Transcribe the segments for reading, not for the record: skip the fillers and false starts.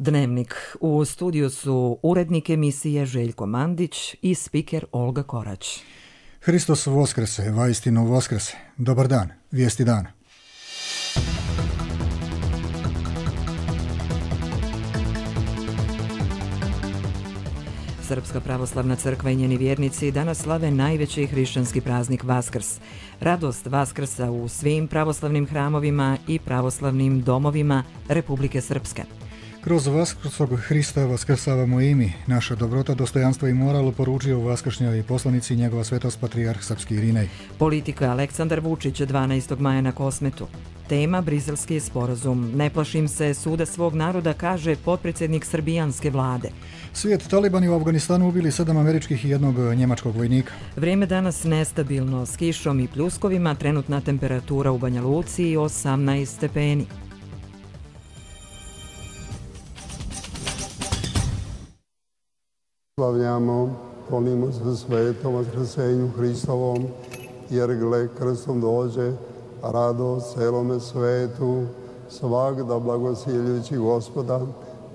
Dnevnik. U studiju su urednik emisije Željko Mandić i spiker Olga Korać. Hristos Voskrese, vaistinu Voskrese. Dobar dan, vijesti dana. Srpska pravoslavna crkva i njeni vjernici danas slave najveći hrišćanski praznik Vaskrs. Radost Vaskrsa u svim pravoslavnim hramovima i pravoslavnim domovima Republike Srpske. Kroz Vaskrsog Hrista vaskrsavamo i mi. Naša dobrota, dostojanstvo i moral poručio u vaskršnjoj poslanici njegova svetost patrijarh srpski Irinej. Politika Aleksandar Vučić 12. maja na Kosmetu. Tema Briselski sporazum. Ne plašim se suda svog naroda, kaže potpredsjednik srbijanske vlade. Svijet, talibani u Afganistanu ubili 7 američkih i 1 njemačkog vojnika. Vrijeme danas nestabilno, s kišom i pljuskovima, trenutna temperatura u Banja Luci 18 stepeni. Slavljamo, molimo se svetom vaskrsenju Hristovom, jer gle krstom dođe radost celome svetu, svagda blagosiljujući Gospoda,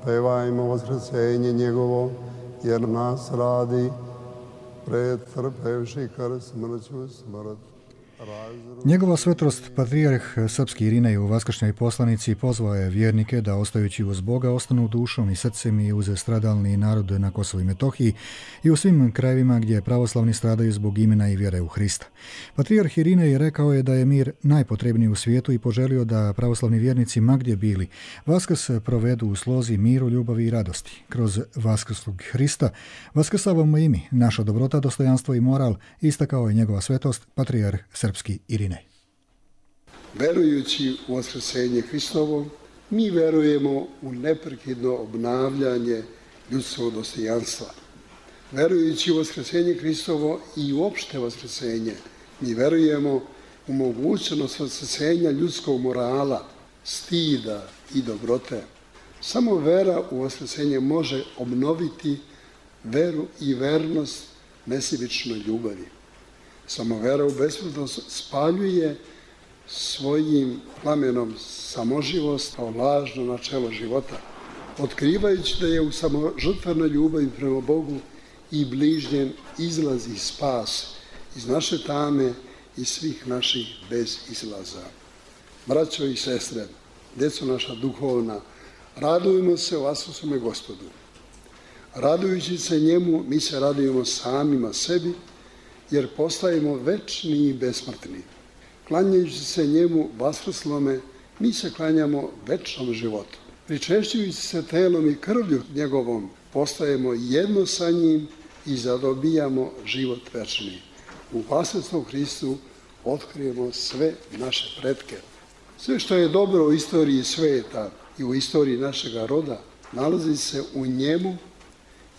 pevajmo vaskrsenje njegovo, jer nas radi, pretrpevši krst smrću smrt. Njegova svetost patrijarh srpski Irinej u vaskršnjoj poslanici pozvao je vjernike da ostajući uz Boga ostanu dušom i srcem i uz stradalni narod na Kosovu i Metohiji i u svim krajevima gdje pravoslavni stradaju zbog imena i vjere u Hrista. Patrijarh Irinej rekao je da je mir najpotrebniji u svijetu i poželio da pravoslavni vjernici ma gdje bili Vaskrs provedu u slozi miru, ljubavi i radosti. Kroz Vaskrskog Hrista vaskrsavamo i mi. Naša dobrota, dostojanstvo i moral, istakao je njegova svetost patrijarh srpski Irinej. Verujući u vaskrsenje Hristovo, mi verujemo u neprekidno obnavljanje ljudskog dostojanstva. Verujući u vaskrsenje Hristovo i uopšte vaskrsenje, mi verujemo u mogućnost vaskrsenja ljudskog morala, stida i dobrote. Samo vera u vaskrsenje može obnoviti veru i vernost nesebičnoj ljubavi. Samo vera u besmrtnost spaljuje svojim plamenom samoživost kao lažno načelo života, otkrivajući da je u samožrtvenoj ljubavi prema Bogu i bližnjem izlaz i spas iz naše tame i svih naših bez izlaza. Braćo i sestre, djeco naša duhovna, radujemo se Vaskrsnome Gospodu. Radujući se njemu, mi se radujemo samima sebi, jer postajemo večni i besmrtni. Klanjajući se njemu vaskrslome, mi se klanjamo večnom životu. Pričešćujući se telom i krvlju njegovom, postajemo jedno sa njim i zadobijamo život večni. U Vaskrsnom Hristu otkrijemo sve naše pretke. Sve što je dobro u istoriji sveta i u istoriji našega roda, nalazi se u njemu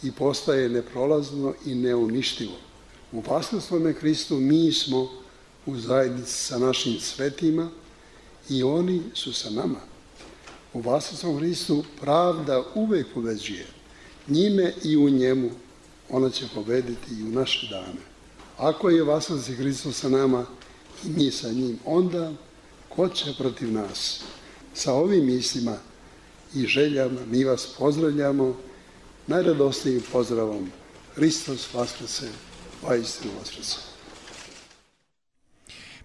i postaje neprolazno i neuništivo. U Vaskrslome Hristu mi smo u zajednici sa našim svetima i oni su sa nama. U Vaskrslom Hristu pravda uvek pobeđuje. Njime i u njemu ona će pobediti i u naše dane. Ako je Vaskrsni Hristos sa nama i mi sa njim, onda ko će protiv nas? Sa ovim mislima i željama mi vas pozdravljamo najradosnijim pozdravom. Hristos Vaskrse, vaistinu Vaskrse.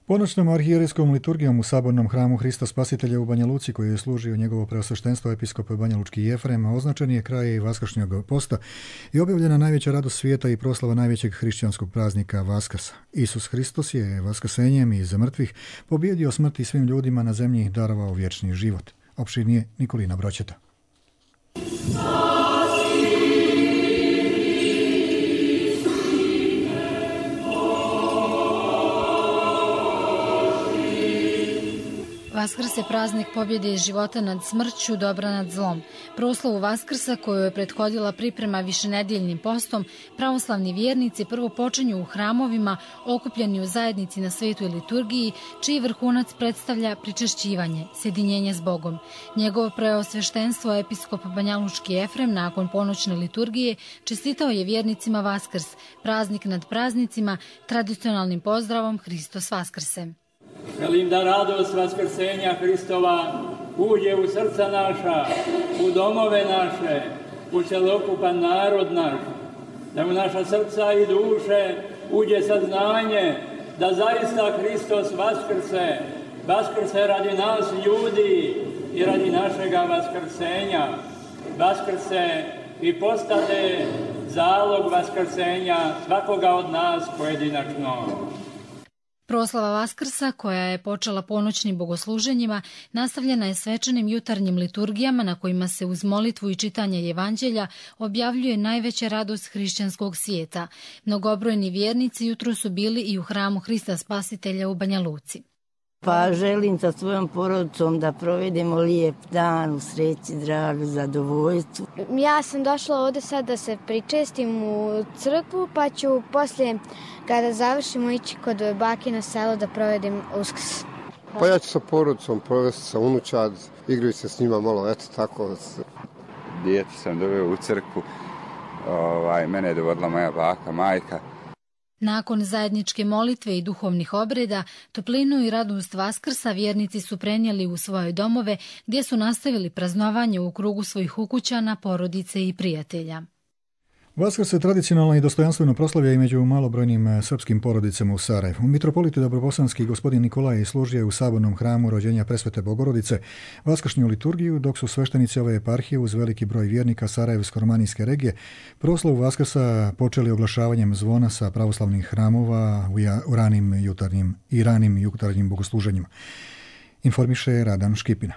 Ponoćnom arhijerejskom liturgijom u sabornom hramu Hrista Spasitelja u Banja Luci, koji je služio njegovo preosveštenstvo episkop Banjalučki Jefrem, označen je kraj vaskršnjeg posta i objavljena najveća radost svijeta i proslava najvećeg hrišćanskog praznika Vaskrsa. Isus Hristos je vaskrsenjem iz mrtvih pobjedio smrt i svim ljudima na zemlji darovao vječni život. Opširnije Nikolina Broćeta. Vaskrs je praznik pobjede iz života nad smrću, dobra nad zlom. Proslavu Vaskrsa, koju je prethodila priprema višenedeljnim postom, pravoslavni vjernici prvo počinju u hramovima, okupljeni u zajednici na svetoj liturgiji, čiji vrhunac predstavlja pričešćivanje, sjedinjenje s Bogom. Njegovo preosveštenstvo episkop Banjalučki Jefrem nakon ponoćne liturgije čestitao je vjernicima Vaskrs, praznik nad praznicima, tradicionalnim pozdravom Hristos Vaskrse. Želim da radost vaskrsenja Hristova uđe u srca naša u domove naše, u celokupan narod naš, da u naša srca i duše uđe saznanje da zaista Hristos vaskrse radi nas ljudi i radi našega vaskrsenja. Vaskrse i postade zalog vaskrsenja svakoga od nas pojedinačno. Proslava Vaskrsa, koja je počela ponoćnim bogosluženjima, nastavljena je svečanim jutarnjim liturgijama na kojima se uz molitvu i čitanje evanđelja objavljuje najveća radost hrišćanskog svijeta. Mnogobrojni vjernici jutro su bili i u hramu Hrista Spasitelja u Banja Luci. Pa želim sa svojom porodicom da provedemo lijep dan u sreći, zdravlju, zadovoljstvu. Ja sam došla ovdje sad da se pričestim u crkvu, pa ću poslije, kada završimo, ići kod bake na selo da provedem Uskrs. Pa ja ću sa porodicom provesti sa unučad, igraju se s njima malo, eto tako. Dijete sam doveo u crkvu, mene je dovodila moja baka, majka. Nakon zajedničke molitve i duhovnih obreda, toplinu i radost Vaskrsa vjernici su prenijeli u svoje domove, gdje su nastavili praznovanje u krugu svojih ukućana, porodice i prijatelja. Vaskrs se tradicionalno i dostojanstveno proslavlja i među malobrojnim srpskim porodicama u Sarajevu. Mitropolit Dobrobosanski gospodin Nikolaj služio je u sabornom hramu rođenja Presvete Bogorodice vaskršnju liturgiju, dok su sveštenici ove eparhije uz veliki broj vjernika Sarajevsko-romanijske regije proslavu Vaskrsa počeli oglašavanjem zvona sa pravoslavnih hramova u ranim jutarnjim bogosluženjima. Informiše Radan Škipina.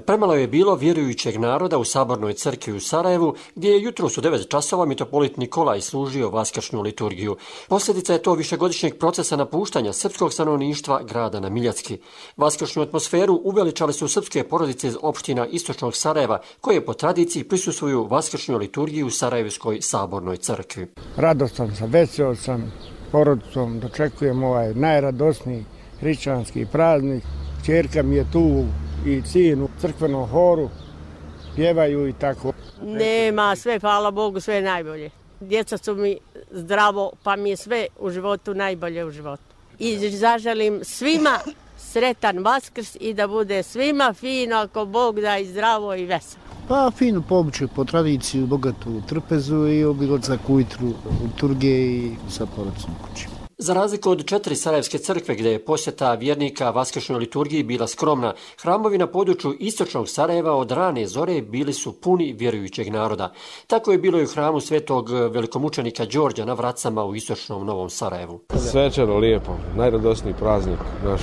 Premalo je bilo vjerujućeg naroda u sabornoj crkvi u Sarajevu, gdje je jutros u 9 časova mitropolit Nikolaj služio vaskršnju liturgiju. Posljedica je to višegodišnjeg procesa napuštanja srpskog stanovništva grada na Miljacki. Vaskršnju atmosferu uveličali su srpske porodice iz opština istočnog Sarajeva, koje po tradiciji prisustvuju vaskršnju liturgiju u Sarajevskoj sabornoj crkvi. Radostan sam, veseo sam, porodicom dočekujem ovaj najradosniji hrišćanski praznik. Ćerka mi je tu i sin u crkvenom horu, pjevaju i tako. Nema, sve, hvala Bogu, sve najbolje. Djeca su mi zdravo, pa mi je sve u životu najbolje u životu. I zaželim svima sretan Vaskrs i da bude svima fino, ako Bog da, i zdravo i veselo. Pa fino po običaju, po tradiciju, bogatu trpezu i obilazak ujutru liturgije i sa porodicom kući. Za razliku od 4 sarajevske crkve gdje je posjeta vjernika vaskršnjoj liturgiji bila skromna, hramovi na području istočnog Sarajeva od rane zore bili su puni vjerujućeg naroda. Tako je bilo i u hramu svetog velikomučenika Đorđa na Vracama u istočnom Novom Sarajevu. Svečano, lijepo, najradosniji praznik naš.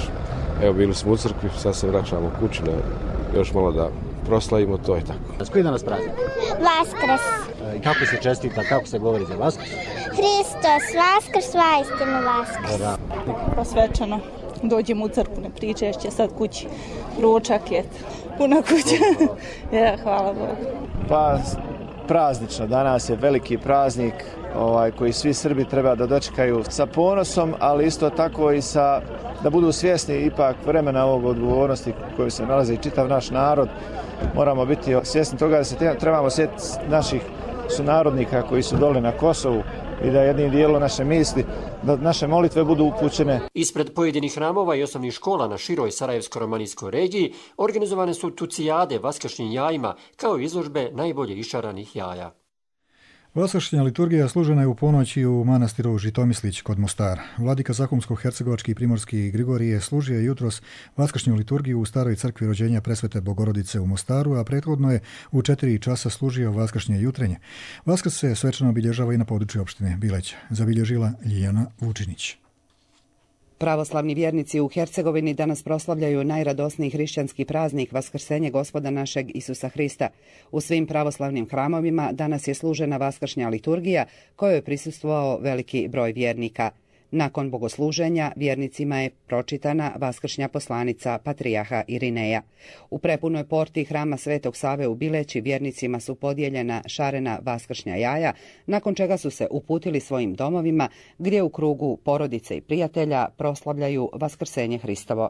Evo, bili smo u crkvi, sad se vraćamo kući, još malo da proslavimo, to je tako. S koji danas praznik? Vaskrs. I kako se čestita, kako se govori za Vaskrs? Hristos Vaskrs, vaistinu Vaskrs. Pa svečano, dođemo u crkvu na pričešće, sad kući, ručak je, puna kuća. Ja, hvala Bogu. Pa praznično, danas je veliki praznik koji svi Srbi treba da dočekaju sa ponosom, ali isto tako i da budu svjesni ipak vremena ovog odgovornosti koju se nalazi i čitav naš narod. Moramo biti svjesni toga da se trebamo sjetiti naših sunarodnika koji su dole na Kosovu i da jednim dijelom naše misli, da naše molitve budu upućene. Ispred pojedinih hramova i osnovnih škola na široj Sarajevsko-romanijskoj regiji organizovane su tucijade vaskršnjim jajima kao izložbe najbolje išaranih jaja. Vaskršnja liturgija služena je u ponoći u manastiru Žitomislić kod Mostara. Vladika Zahumsko-hercegovački i primorski Grigorije služio je jutros vaskršnju liturgiju u staroj crkvi rođenja Presvete Bogorodice u Mostaru, a prethodno je u 4 časa služio vaskršnje jutrenje. Vaskrs se svečano obilježava i na području opštine Bileć. Zabilježila Ljiljana Vučinić. Pravoslavni vjernici u Hercegovini danas proslavljaju najradosniji hrišćanski praznik Vaskrsenje Gospoda našeg Isusa Hrista. U svim pravoslavnim hramovima danas je služena vaskršnja liturgija kojoj je prisustvovao veliki broj vjernika. Nakon bogosluženja vjernicima je pročitana vaskršnja poslanica patrijarha Irineja. U prepunoj porti hrama Svetog Save u Bileći vjernicima su podijeljena šarena vaskršnja jaja, nakon čega su se uputili svojim domovima gdje u krugu porodice i prijatelja proslavljaju Vaskrsenje Hristovo.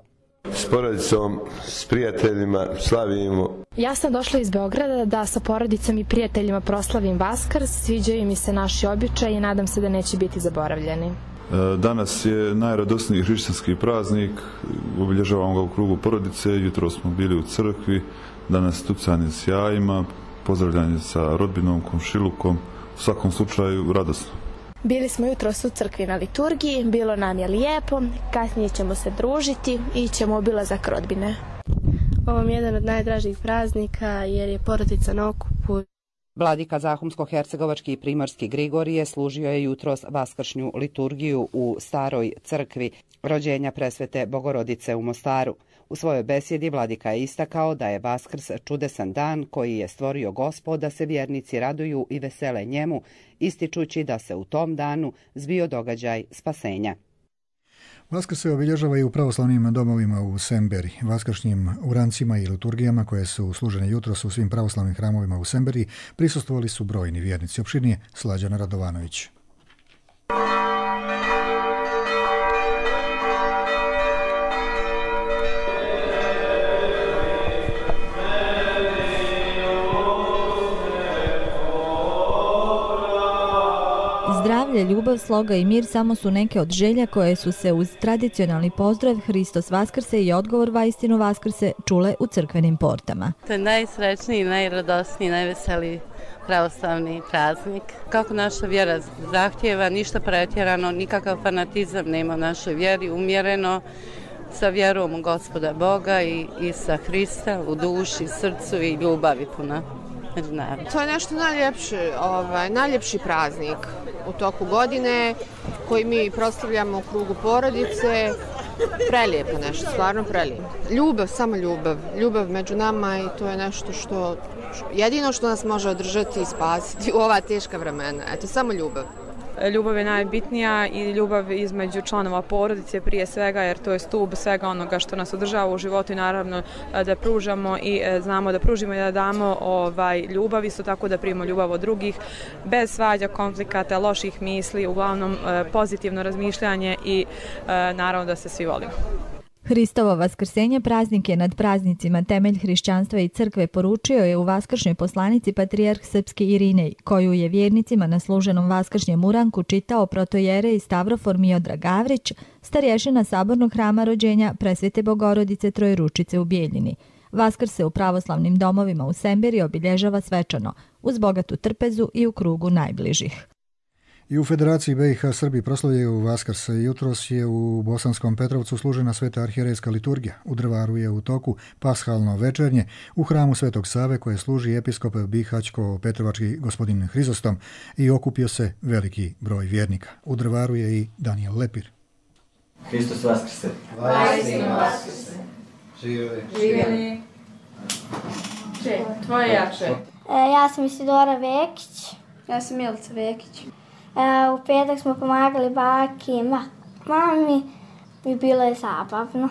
S porodicom, s prijateljima slavimo. Ja sam došla iz Beograda da sa porodicom i prijateljima proslavim Vaskrs. Sviđaju mi se naši običaji i nadam se da neće biti zaboravljeni. Danas je najradosniji hrišćanski praznik, obilježavamo ga u krugu porodice, jutro smo bili u crkvi, danas tucanje s jajima, pozdravljanje sa rodbinom, komšilukom, u svakom slučaju radosno. Bili smo jutros u crkvi na liturgiji, bilo nam je lijepo, kasnije ćemo se družiti i ćemo obilazak rodbine. Ovo je jedan od najdražih praznika jer je porodica na okupu. Vladika Zahumsko-hercegovački i primorski Grigorije služio je jutros vaskršnju liturgiju u Staroj crkvi rođenja presvete Bogorodice u Mostaru. U svojoj besjedi vladika je istakao da je Vaskrs čudesan dan koji je stvorio Gospod da se vjernici raduju i vesele njemu, ističući da se u tom danu zbio događaj spasenja. Vaskrs se obilježava i u pravoslavnim domovima u Semberi. Vaskršnjim urancima i liturgijama koje su služene jutros u svim pravoslavnim hramovima u Semberi prisustvovali su brojni vjernici. Opširnije Slađana Radovanović. Zdravlje, ljubav, sloga i mir samo su neke od želja koje su se uz tradicionalni pozdrav Hristos Vaskrse i odgovor Vaistinu Vaskrse čule u crkvenim portama. To je najsrećniji, najradosniji, najveseliji pravoslavni praznik. Kako naša vjera zahtjeva, ništa pretjerano, nikakav fanatizam nema u našoj vjeri, umjereno, sa vjerom u Gospoda Boga i sa Hrista u duši, srcu i ljubavi puna. To je nešto najljepši praznik u toku godine koji mi proslavljamo u krugu porodice. Prelijepo nešto, stvarno prelijepo. Ljubav, samo ljubav. Ljubav među nama i to je nešto što jedino što nas može održati i spasiti u ova teška vremena. Eto, samo ljubav. Ljubav je najbitnija i ljubav između članova porodice prije svega, jer to je stup svega onoga što nas održava u životu i naravno da pružamo i znamo da pružimo i da damo ljubav, isto tako da primimo ljubav od drugih, bez svađa, konflikata, loših misli, uglavnom pozitivno razmišljanje i naravno da se svi volimo. Hristovo vaskrsenje praznik je nad praznicima, temelj hrišćanstva i crkve, poručio je u vaskršnjoj poslanici patrijarh srpski Irinej, koju je vjernicima na služenom vaskršnjem uranku čitao protojerej Stavrofor Miodrag Gavrić, starješina sabornog hrama rođenja presvete Bogorodice Trojeručice u Bijeljini. Vaskrs se u pravoslavnim domovima u Semberi obilježava svečano, uz bogatu trpezu i u krugu najbližih. I u Federaciji BiH Srbi proslavljaju Vaskrs. Jutros je u Bosanskom Petrovcu služena sveta arhijerejska liturgija. U Drvaru je u toku pashalno večernje u hramu Svetog Save koje služi episkop Bihaćko-Petrovački gospodin Hrizostom i okupio se veliki broj vjernika. U Drvaru je i Daniel Lepir. Hristos Vaskrse. Vaistinu Vaskrse. Živjeli. Živjeli. Tvoje jače. Ja sam Isidora Vekić. Ja sam Milica Vekić. U petak smo pomagali baki i mami i bilo je zabavno.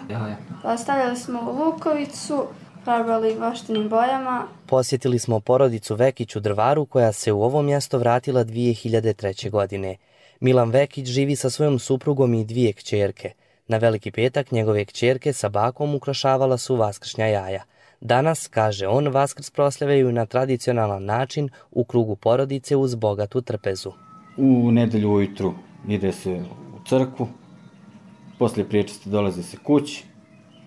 Ostavljali smo lukovicu, farbali voštenim bojama. Posjetili smo porodicu Vekić u Drvaru koja se u ovo mjesto vratila 2003. godine. Milan Vekić živi sa svojom suprugom i 2 kćerke. Na Veliki petak njegove kćerke sa bakom ukrašavala su vaskršnja jaja. Danas, kaže on, Vaskrs proslavljaju na tradicionalan način u krugu porodice uz bogatu trpezu. U nedelju ujutru ide se u crkvu, poslije priječesti dolazi se kući,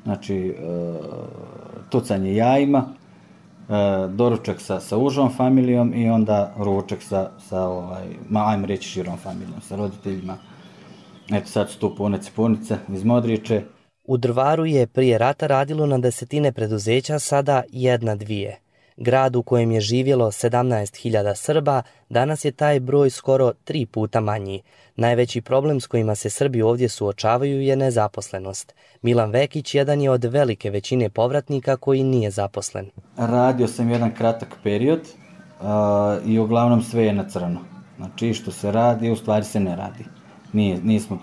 znači tucanje jajima, doručak sa užom familijom i onda ručak ajmo reći širom familijom, sa roditeljima. Eto sad su tu punice iz Modriče. U Drvaru je prije rata radilo na desetine preduzeća, sada 1-2. Grad u kojem je živjelo 17.000 Srba, danas je taj broj skoro 3 puta manji. Najveći problem s kojima se Srbi ovdje suočavaju je nezaposlenost. Milan Vekić jedan je od velike većine povratnika koji nije zaposlen. Radio sam jedan kratak period i uglavnom sve je na crno. Znači što se radi, u stvari se ne radi.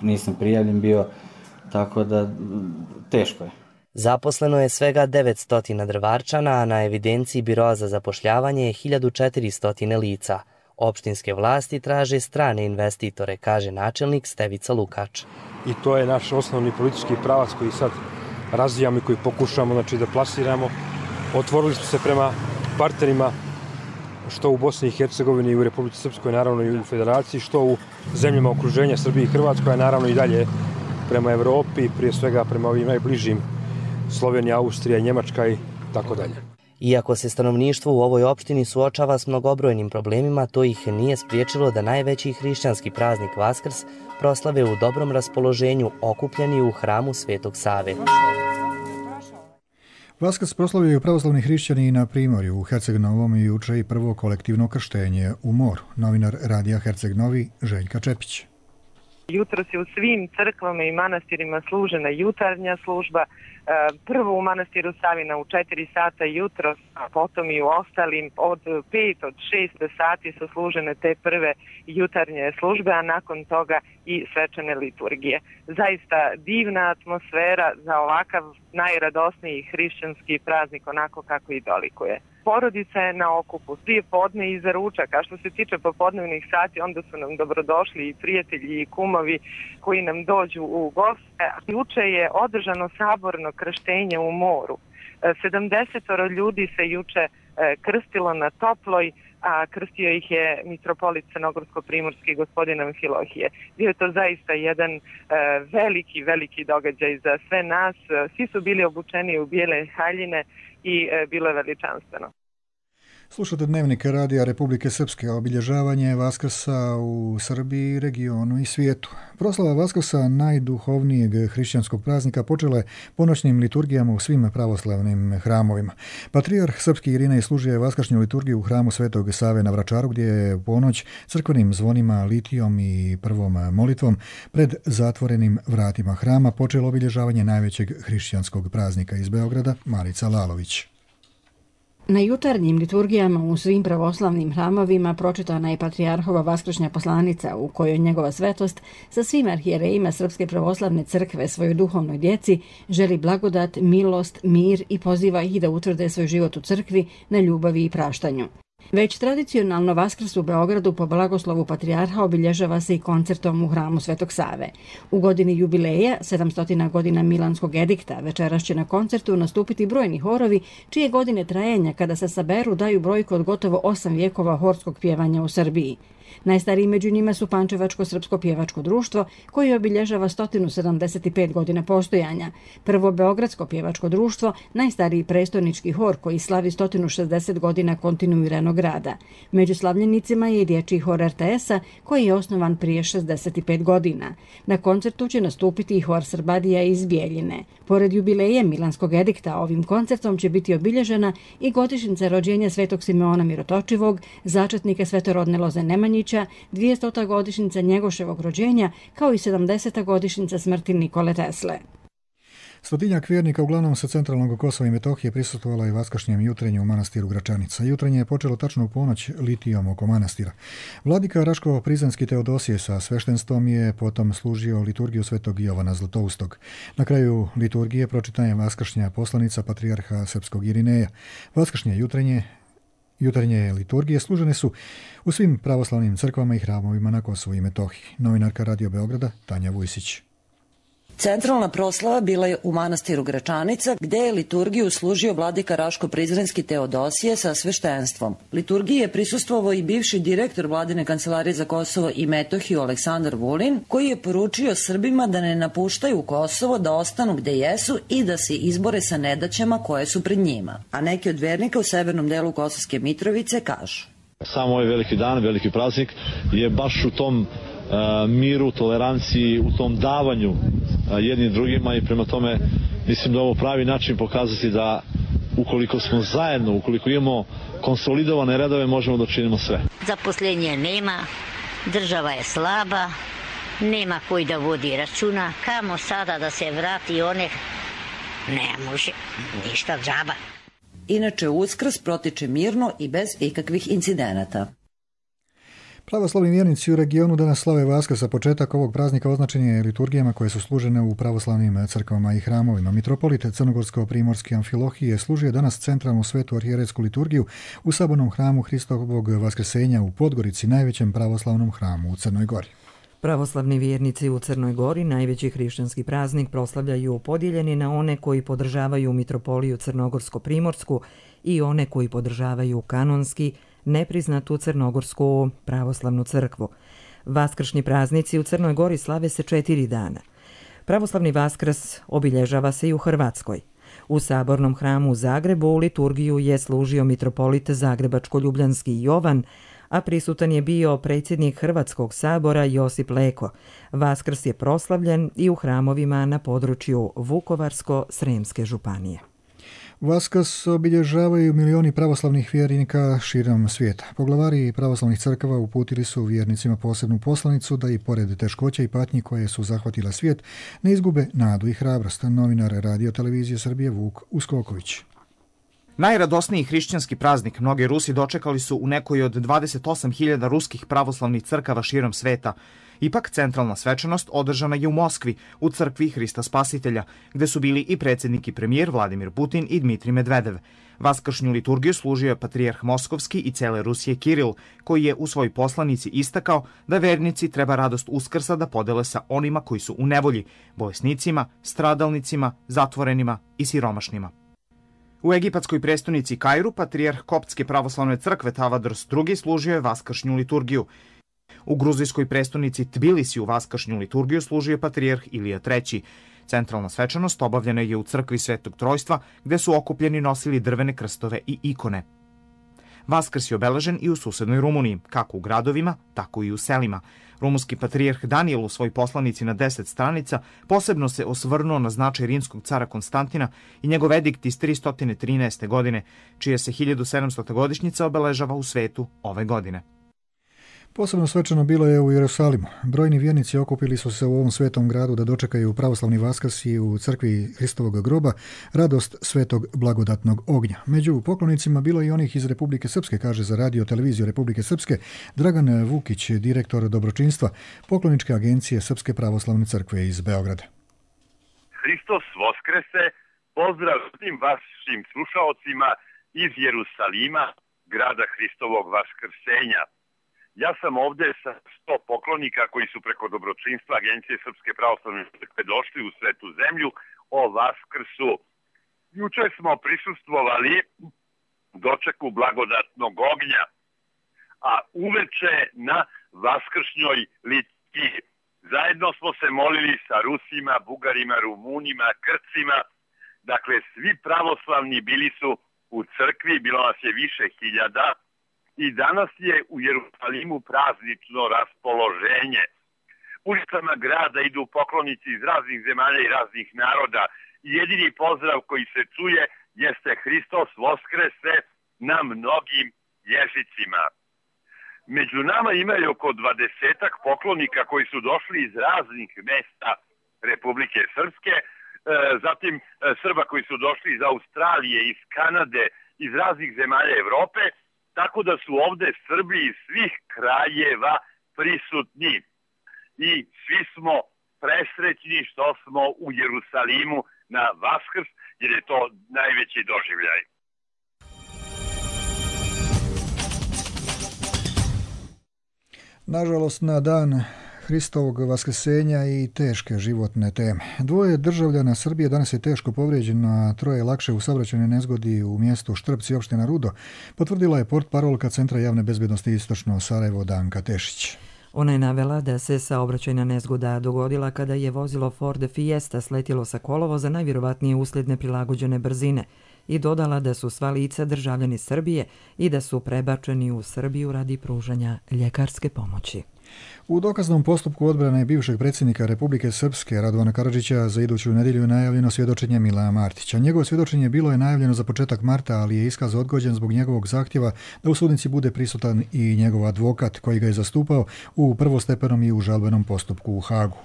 Nisam prijavljen bio, tako da teško je. Zaposleno je svega 900 Drvarčana, a na evidenciji Biroa za zapošljavanje je 1400 lica. Opštinske vlasti traže strane investitore, kaže načelnik Stevica Lukač. I to je naš osnovni politički pravac koji sad razvijamo i koji pokušamo da plasiramo. Otvorili smo se prema partnerima što u Bosni i Hercegovini i u Republici Srpskoj, naravno i u Federaciji, što u zemljama okruženja Srbije i Hrvatskoj, a naravno i dalje prema Evropi, prije svega prema ovim najbližim Slovenija, Austrija, Njemačka i tako dalje. Iako se stanovništvo u ovoj opštini suočava s mnogobrojnim problemima, to ih nije spriječilo da najveći hrišćanski praznik Vaskrs proslave u dobrom raspoloženju, okupljeni u hramu Svetog Save. Vaskrs proslavljaju pravoslavni hrišćani i na Primorju. U Herceg Novom i juče i prvo kolektivno krštenje u moru. Novinar radija Herceg Novi Željka Čepić. Jutros je u svim crkvama i manastirima služena jutarnja služba. Prvo u manastiru Savina u 4 sata jutros, a potom i u ostalim od 5 od 6 sati su služene te prve jutarnje službe, a nakon toga i svečane liturgije. Zaista divna atmosfera za ovakav najradosniji hrišćanski praznik, onako kako i dolikuje. Porodica je na okupu, prije podne i za ručak, a što se tiče popodnevnih sati, onda su nam dobrodošli i prijatelji i kumovi koji nam dođu u goste. Juče je održano saborno krštenje u moru. 70 ljudi se juče krstilo na Toploj, a krstio ih je mitropolit crnogorsko-primorski gospodin Amfilohije. Bio je to zaista jedan veliki događaj za sve nas. Svi su bili obučeni u bijele haljine i bilo je veličanstveno. Slušate Dnevnik radija Republike Srpske, obilježavanje Vaskrsa u Srbiji, regionu i svijetu. Proslava Vaskrsa, najduhovnijeg hrišćanskog praznika, počela je ponoćnim liturgijama u svim pravoslavnim hramovima. Patrijarh srpski Irinej služio je vaskršnju liturgiju u hramu Svetog Save na Vračaru, gdje je u ponoć crkvenim zvonima, litijom i prvom molitvom pred zatvorenim vratima hrama počelo obilježavanje najvećeg hrišćanskog praznika. Iz Beograda Marica Lalović. Na jutarnjim liturgijama u svim pravoslavnim hramovima pročitana je Patrijarhova vaskršnja poslanica u kojoj njegova svetost sa svim arhijerejima Srpske pravoslavne crkve svojoj duhovnoj djeci želi blagodat, milost, mir i poziva ih da utvrde svoj život u crkvi na ljubavi i praštanju. Već tradicionalno Vaskrs u Beogradu po blagoslovu Patrijarha obilježava se i koncertom u hramu Svetog Save. U godini jubileja, 700 godina Milanskog edikta, večeras će na koncertu nastupiti brojni horovi, čije godine trajanja kada se saberu daju brojku od gotovo 8 vijekova horskog pjevanja u Srbiji. Najstariji među njima su Pančevačko srpsko pjevačko društvo, koje obilježava 175 godina postojanja. Prvo Beogradsko pjevačko društvo, najstariji prestonički hor koji slavi 160 godina kontinuiranog rada. Među slavljenicima je i dječji hor RTS-a, koji je osnovan prije 65 godina. Na koncertu će nastupiti i hor Srbadija iz Bijeljine. Pored jubileje Milanskog edikta, ovim koncertom će biti obilježena i godišnjica rođenja Svetog Simeona Mirotočivog, začetnika svetorodne loze Nemanjića, 200. godišnjica Njegoševog rođenja, kao i 70. godišnjica smrti Nikole Tesle. Stotinjak vjernika, uglavnom sa centralnog Kosova i Metohije, prisustvovala je vaskršnjem jutrenju u manastiru Gračanica. Jutrenje je počelo tačno u ponoć litijom oko manastira. Vladika Raško-Prizrenski Teodosije sa sveštenstvom je potom služio liturgiju Svetog Jovana Zlatoustog. Na kraju liturgije pročitana je vaskršnja poslanica Patrijarha srpskog Irineja. Vaskršnje jutarnje liturgije služene su u svim pravoslavnim crkvama i hramovima na Kosovu i Metohiji. Novinarka Radio Beograda Tanja Vujsić. Centralna proslava bila je u manastiru Gračanica, gdje je liturgiju služio vladika Raško-Prizrenski Teodosije sa sveštenstvom. Liturgiji je prisustvovao i bivši direktor vladine kancelarije za Kosovo i Metohiju Aleksandar Vulin, koji je poručio Srbima da ne napuštaju Kosovo, da ostanu gdje jesu i da se izbore sa nedaćama koje su pred njima. A neki od vernika u severnom delu Kosovske Mitrovice kažu: Samo ovaj veliki dan, veliki praznik je baš u tom miru, toleranciji, u tom davanju jednim drugima i prema tome mislim da ovo pravi način pokazati da ukoliko smo zajedno, ukoliko imamo konsolidovane redove, možemo da učinimo sve. Zaposlenje nema, država je slaba, nema koji da vodi računa, kamo sada da se vrati one, ne može, ništa džaba. Inače, Uskrs protiče mirno i bez ikakvih incidenata. Pravoslavni vjernici u regionu danas slave Vaskrs, a početak ovog praznika označen je liturgijama koje su služene u pravoslavnim crkvama i hramovima. Mitropolit crnogorsko-primorski Amfilohije služio danas centralnu svetu arhijerejsku liturgiju u sabornom hramu Hristovog Vaskrsenja u Podgorici, najvećem pravoslavnom hramu u Crnoj Gori. Pravoslavni vjernici u Crnoj Gori najveći hrišćanski praznik proslavljaju podijeljeni na one koji podržavaju mitropoliju crnogorsko-primorsku i one koji podržavaju kanonski nepriznatu crnogorsku pravoslavnu crkvu. Vaskršnji praznici u Crnoj Gori slave se 4 dana. Pravoslavni Vaskrs obilježava se i u Hrvatskoj. U Sabornom hramu u Zagrebu liturgiju je služio mitropolit Zagrebačko-ljubljanski Jovan, a prisutan je bio predsjednik Hrvatskog sabora Josip Leko. Vaskrs je proslavljen i u hramovima na području Vukovarsko-Sremske županije. Vaskrs obilježavaju milioni pravoslavnih vjernika širom svijeta. Poglavari pravoslavnih crkava uputili su vjernicima posebnu poslanicu da i pored teškoća i patnji koje su zahvatila svijet ne izgube nadu i hrabrost. Novinar Radio Televizije Srbije Vuk Uskoković. Najradosniji hrišćanski praznik mnogi Rusi dočekali su u nekoj od 28.000 ruskih pravoslavnih crkava širom sveta. Ipak centralna svečanost održana je u Moskvi, u crkvi Hrista Spasitelja, gde su bili i predsjednik i premijer Vladimir Putin i Dmitrij Medvedev. Vaskršnju liturgiju služio je patrijarh Moskovski i cele Rusije Kiril, koji je u svojoj poslanici istakao da vernici treba radost Uskrsa da podele sa onima koji su u nevolji, bolesnicima, stradalnicima, zatvorenima i siromašnima. U egipatskoj prestonici Kairu patrijarh Koptske pravoslavne crkve Tavadros II služio je vaskršnju liturgiju. U gruzijskoj prestonici Tbilisiju vaskršnju liturgiju služio je patrijarh Ilija III. Centralna svečanost obavljena je u crkvi Svetog Trojstva, gde su okupljeni nosili drvene krstove i ikone. Vaskrs je obeležen i u susednoj Rumuniji, kako u gradovima, tako i u selima. Rumunski patrijarh Danijel u svojoj poslanici na 10 stranica posebno se osvrnuo na značaj rimskog cara Konstantina i njegov edikt iz 313. godine, čija se 1700. godišnjica obeležava u svetu ove godine. Posebno svečano bilo je u Jerusalimu. Brojni vjernici okupili su se u ovom svetom gradu da dočekaju pravoslavni Vaskrs i u crkvi Hristovog groba radost svetog blagodatnog ognja. Među poklonicima bilo i onih iz Republike Srpske, kaže za Radio Televiziju Republike Srpske Dragan Vukić, direktor dobročinstva pokloničke agencije Srpske pravoslavne crkve iz Beograda. Hristos Voskrese, pozdrav svim vašim slušaocima iz Jerusalima, grada Hristovog Vaskrsenja. Ja sam ovdje sa 100 poklonika koji su preko dobročinstva Agencije Srpske pravoslavne crkve došli u Svetu zemlju o Vaskrsu. Juče smo prisustvovali dočeku blagodatnog ognja, a uveče na vaskršnjoj liturgiji. Zajedno smo se molili sa Rusima, Bugarima, Rumunima, Krcima. Dakle, svi pravoslavni bili su u crkvi, bilo nas je više hiljada. I danas je u Jerusalimu praznično raspoloženje. Ulicama grada idu poklonici iz raznih zemalja i raznih naroda. Jedini pozdrav koji se čuje jeste Hristos Voskrese na mnogim jezicima. Među nama imaju oko 20-ak poklonika koji su došli iz raznih mesta Republike Srpske, zatim Srba koji su došli iz Australije, iz Kanade, iz raznih zemalja Evrope, tako da su ovdje Srbi iz svih krajeva prisutni. I svi smo presrećni što smo u Jerusalimu na Vaskrs, jer je to najveći doživljaj. Nažalost, na dan Hristovog vaskrsenja i teške životne teme. 2 državljana Srbije danas je teško povrijeđeno, a 3 lakše u saobraćajnoj nezgodi u mjestu Štrpci, opština Rudo, potvrdila je portparolka Centra javne bezbednosti Istočno Sarajevo Danka Tešić. Ona je navela da se saobraćajna nezgoda dogodila kada je vozilo Ford Fiesta sletjelo sa kolovoza, najvjerovatnije uslijed neprilagođene brzine, i dodala da su sva lica državljani Srbije i da su prebačeni u Srbiju radi pružanja ljekarske pomoći. U dokaznom postupku odbrane bivšeg predsjednika Republike Srpske Radovana Karadžića za iduću nedjelju je najavljeno svjedočenje Milana Martića. Njegovo svjedočenje bilo je najavljeno za početak marta, ali je iskaz odgođen zbog njegovog zahtjeva da u sudnici bude prisutan i njegov advokat koji ga je zastupao u prvostepenom i u žalbenom postupku u Hagu.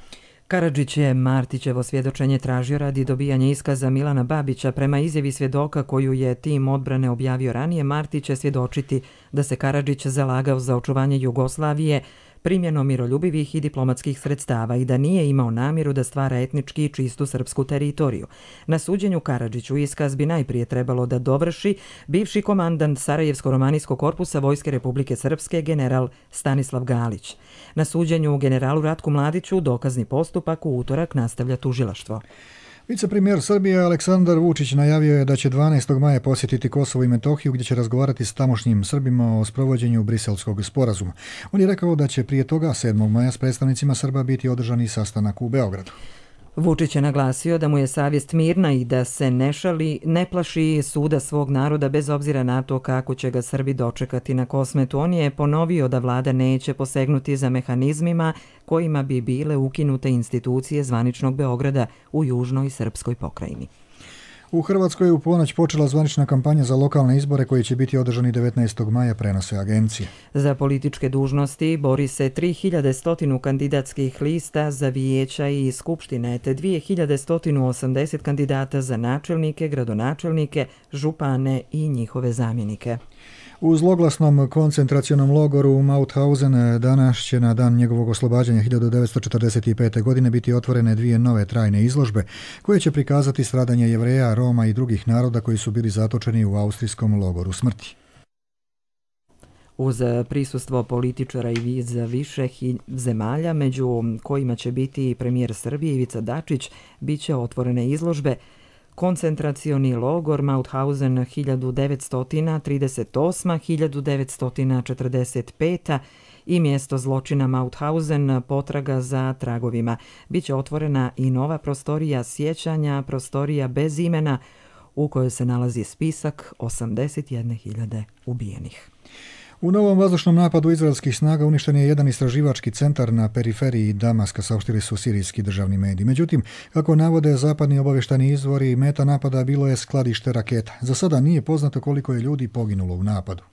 Karadžić je Martićevo svjedočenje tražio radi dobijanja iskaza Milana Babića. Prema izjavi svjedoka koju je tim odbrane objavio ranije, Martić će svjedočiti da se Karadžić zalagao za očuvanje Jugoslavije primjenom miroljubivih i diplomatskih sredstava i da nije imao namjeru da stvara etnički čistu srpsku teritoriju. Na suđenju Karadžiću iskaz bi najprije trebalo da dovrši bivši komandant Sarajevsko-romanijskog korpusa Vojske Republike Srpske general Stanislav Galić. Na suđenju generalu Ratku Mladiću dokazni postupak u utorak nastavlja tužilaštvo. Vicepremijer Srbije Aleksandar Vučić najavio je da će 12. maja posjetiti Kosovo i Metohiju gdje će razgovarati s tamošnjim Srbima o sprovođenju Briselskog sporazuma. On je rekao da će prije toga 7. maja s predstavnicima Srba biti održani sastanak u Beogradu. Vučić je naglasio da mu je savjest mirna i da se ne plaši suda svog naroda bez obzira na to kako će ga Srbi dočekati na Kosmetu. On je ponovio da vlada neće posegnuti za mehanizmima kojima bi bile ukinute institucije zvaničnog Beograda u južnoj srpskoj pokrajini. U Hrvatskoj je u ponoć počela zvanična kampanja za lokalne izbore koji će biti održani 19. maja, prenose agencije. Za političke dužnosti bori se 3100 kandidatskih lista za vijeća i skupštine, te 2180 kandidata za načelnike, gradonačelnike, župane i njihove zamjenike. U zloglasnom koncentracionom logoru Mauthausen danas će na dan njegovog oslobađanja 1945. godine biti otvorene 2 nove trajne izložbe koje će prikazati stradanje Jevreja, Roma i drugih naroda koji su bili zatočeni u austrijskom logoru smrti. Uz prisustvo političara i iz više zemalja, među kojima će biti i premijer Srbije Ivica Dačić, bit će otvorene izložbe Koncentracioni logor Mauthausen 1938-1945 i mjesto zločina Mauthausen potraga za tragovima. Biće otvorena i nova prostorija sjećanja, prostorija bez imena u kojoj se nalazi spisak 81.000 ubijenih. U novom vazdušnom napadu izraelskih snaga uništen je jedan istraživački centar na periferiji Damaska, saopštili su sirijski državni mediji. Međutim, kako navode zapadni obavještajni izvori, meta napada bilo je skladište raketa. Za sada nije poznato koliko je ljudi poginulo u napadu.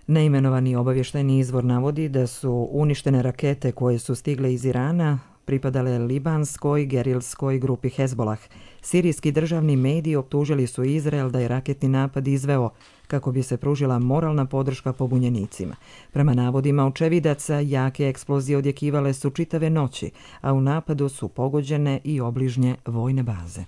Neimenovani obavještajni izvor navodi da su uništene rakete koje su stigle iz Irana pripadale libanskoj gerilskoj grupi Hezbolah. Sirijski državni mediji optužili su Izrael da je raketni napad izveo kako bi se pružila moralna podrška pobunjenicima. Prema navodima očevidaca, jake eksplozije odjekivale su čitave noći, a u napadu su pogođene i obližnje vojne baze.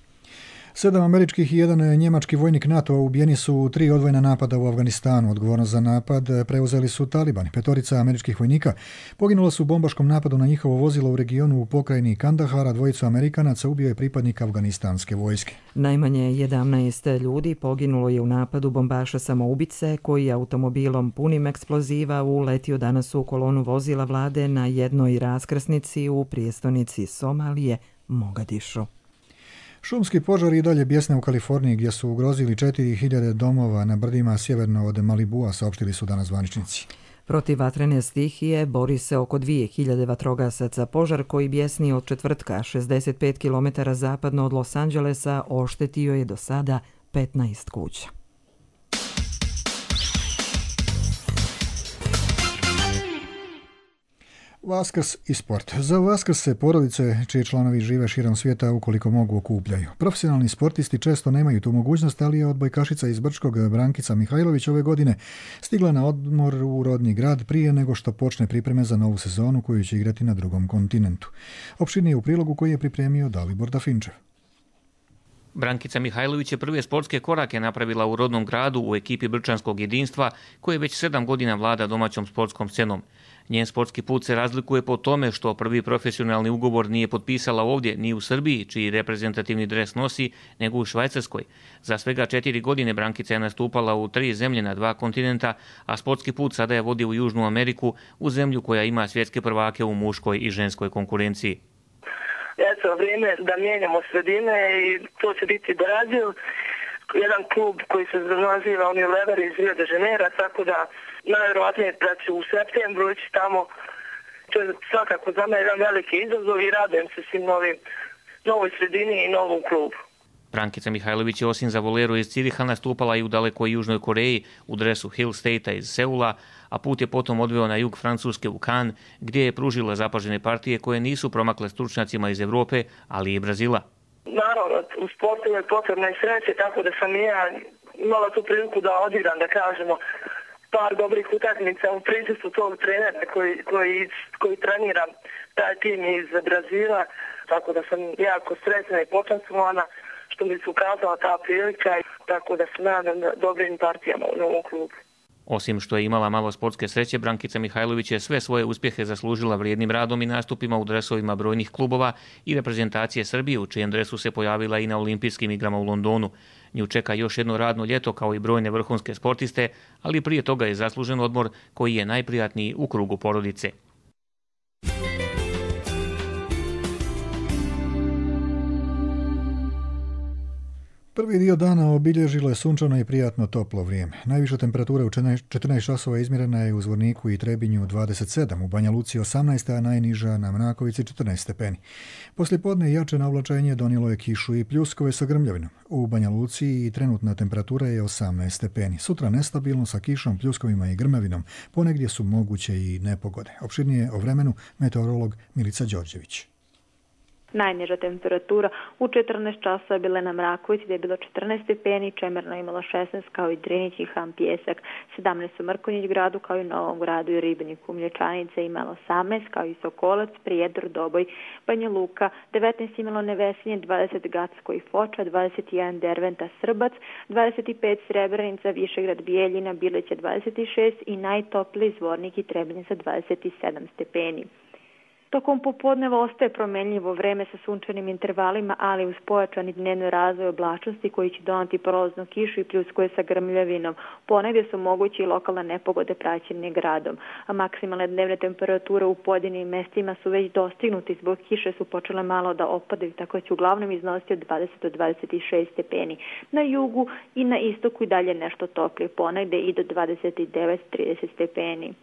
7 američkih i 1 njemački vojnik NATO ubijeni su u 3 odvojena napada u Afganistanu. Odgovornost za napad preuzeli su talibani. 5 američkih vojnika poginula su u bombaškom napadu na njihovo vozilo u regionu u pokrajini Kandahara. 2 Amerikanaca ubio je pripadnik afganistanske vojske. Najmanje 11 ljudi poginulo je u napadu bombaša samoubice koji je automobilom punim eksploziva uletio danas u kolonu vozila vlade na jednoj raskrsnici u prijestolnici Somalije, Mogadišu. Šumski požari i dalje bjesne u Kaliforniji gdje su ugrozili 4000 domova na brdima sjeverno od Malibua, saopštili su danas zvaničnici. Protiv vatrene stihije bori se oko 2000 vatrogasaca. Požar koji bjesni od četvrtka 65 km zapadno od Los Angelesa oštetio je do sada 15 kuća. Vaskrs i sport. Za Vaskrs se porodice čiji članovi žive širom svijeta ukoliko mogu okupljaju. Profesionalni sportisti često nemaju tu mogućnost, ali je odbojkašica iz Brčkog Brankica Mihajlović ove godine stigla na odmor u rodni grad prije nego što počne pripreme za novu sezonu koju će igrati na drugom kontinentu. Opširnije u prilogu koji je pripremio Dalibor Dafinčev. Brankica Mihajlović je prve sportske korake napravila u rodnom gradu u ekipi Brčanskog jedinstva koje već 7 godina vlada domaćom sportskom scenom. Njen sportski put se razlikuje po tome što prvi profesionalni ugovor nije potpisala ovdje, ni u Srbiji, čiji reprezentativni dres nosi, nego u Švajcarskoj. Za svega 4 godine Brankica je nastupala u 3 zemlje na 2 kontinenta, a sportski put sada je vodi u Južnu Ameriku, u zemlju koja ima svjetske prvake u muškoj i ženskoj konkurenciji. Eto, vrijeme da mijenjamo sredine i to će biti Brazil, jedan klub koji se naziva Unilever iz Rio de Janeiro, tako da najvjerovatnije da će u septembru ići tamo. To je svakako za mene jedan veliki izazov i radujem se svim novoj sredini i novom klubu. Brankica Mihajlović je osim za voleru iz Ciriha nastupala i u dalekoj Južnoj Koreji u dresu Hill State-a iz Seula, a put je potom odveo na jug Francuske u Cannes, gdje je pružila zapažene partije koje nisu promakle stručnjacima iz Evrope, ali i Brazila. Naravno, u sportu je potrebna i sreće, tako da sam i ja imala tu priliku da odigram, da kažemo, par dobrih utakmica u prisustvu tog trenera koji trenira taj tim iz Brazila, tako da sam jako sretna i počastvovana što mi se ukazala ta prilika, tako da se nadam dobrim partijama u novom klubu. Osim što je imala malo sportske sreće, Brankica Mihajlović je sve svoje uspjehe zaslužila vrijednim radom i nastupima u dresovima brojnih klubova i reprezentacije Srbije, u čijem dresu se pojavila i na olimpijskim igrama u Londonu. Nju čeka još jedno radno ljeto kao i brojne vrhunske sportiste, ali prije toga je zaslužen odmor koji je najprijatniji u krugu porodice. Prvi dio dana obilježilo je sunčano i prijatno toplo vrijeme. Najviša temperatura u 14 časova izmjerena je u Zvorniku i Trebinju 27, u Banja Luci 18, a najniža na Mrakovici 14 stepeni. Poslijepodne jače navlačenje donijelo je kišu i pljuskove sa grmljavinom. U Banja Luci i trenutna temperatura je 18 stepeni. Sutra nestabilno sa kišom, pljuskovima i grmljavinom. Ponegdje su moguće i nepogode. Opširnije o vremenu meteorolog Milica Đorđević. Najniža temperatura u 14 časova bila na Mrakovici gdje je bilo 14 stepeni, Čemerno imalo 16 kao i Drinić i Ham Pjesak, 17 u Mrkonjić gradu kao i Novom gradu i Ribniku, Mlječanice imalo 18 kao i Sokolac, Prijedor, Doboj, Banja Luka, 19 imalo Nevesinje, 20 Gacko i Foča, 21 Derventa, Srbac, 25 Srebrenica, Višegrad, Bijeljina, Bilića 26 i najtopliji Zvornik i Trebinje sa 27 stepeni. Tokom popodneva ostaje promenljivo vreme sa sunčanim intervalima, ali uz pojačani dnevni razvoj oblačnosti koji će donati prolaznu kišu i pljuskuje sa grmljavinom. Ponegdje su mogući i lokalne nepogode praćene gradom, a maksimalne dnevne temperature u pojedinim mestima su već dostignuti, zbog kiše su počele malo da opadaju, tako će uglavnom iznositi od 20 do 26 stepeni. Na jugu i na istoku i dalje nešto toplije, ponegdje i do 29-30 stepeni.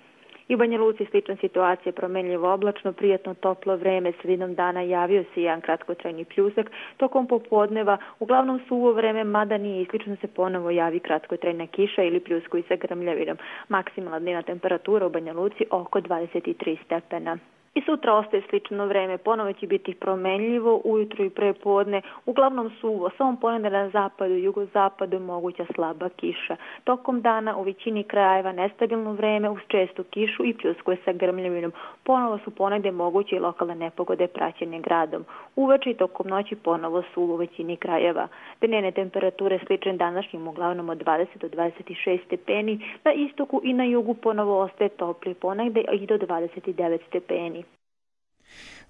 I u Banja Luci slična situacija, promenljivo oblačno, prijatno toplo vreme, sredinom dana javio se jedan kratkotrajni pljusak, tokom popodneva uglavnom suvo vreme, mada nije isključeno se ponovo javi kratkotrajna kiša ili pljuskovi sa grmljavinom. Maksimalna dnevna temperatura u Banja Luci oko 23 stepena. I sutra ostaje slično vreme, ponovo će biti promenljivo, ujutro i prepodne, uglavnom suvo, samo ponegdje na zapadu i jugozapadu moguća slaba kiša. Tokom dana u većini krajeva nestabilno vreme uz čestu kišu i pljuskove sa grmljavinom. Ponovo su ponegdje moguće i lokalne nepogode praćene gradom. Uveče i tokom noći ponovo suvo u većini krajeva. Dnevne temperature slične današnjim uglavnom od 20 do 26 stepeni, na istoku i na jugu ponovo ostaje topli, ponegdje i do 29 stepeni.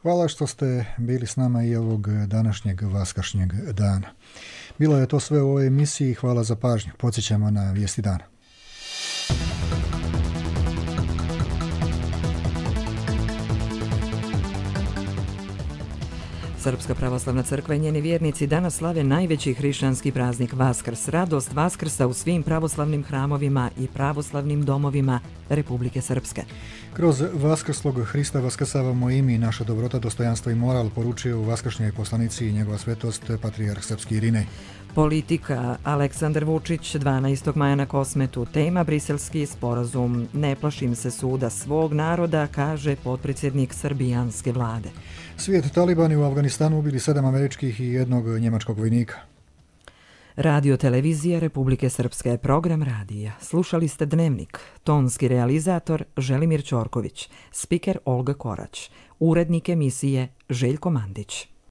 Hvala što ste bili s nama i ovog današnjeg vaskršnjeg dana. Bilo je to sve u ovoj emisiji. Hvala za pažnju. Podsjećamo na vijesti dana. Srpska pravoslavna crkva i njeni vjernici danas slave najveći hrišćanski praznik Vaskrs, radost Vaskrsa u svim pravoslavnim hramovima i pravoslavnim domovima Republike Srpske. Kroz vaskrslog Hrista vaskrsavamo i mi, naša dobrota, dostojanstvo i moral, poručio u vaskršnjoj poslanici i njegova svetost patrijarh srpski Irinej. Politika. Aleksandar Vučić 12. maja na Kosmetu. Tema Briselski sporazum. Ne plašim se suda svog naroda, kaže potpredsjednik srbijanske vlade. Svijet, talibani u Afganistanu ubili 7 američkih i 1 njemačkog vojnika. Radio televizija Republike Srpske, program radija. Slušali ste Dnevnik. Tonski realizator Želimir Ćorković. Spiker Olga Korać. Urednik emisije Željko Mandić.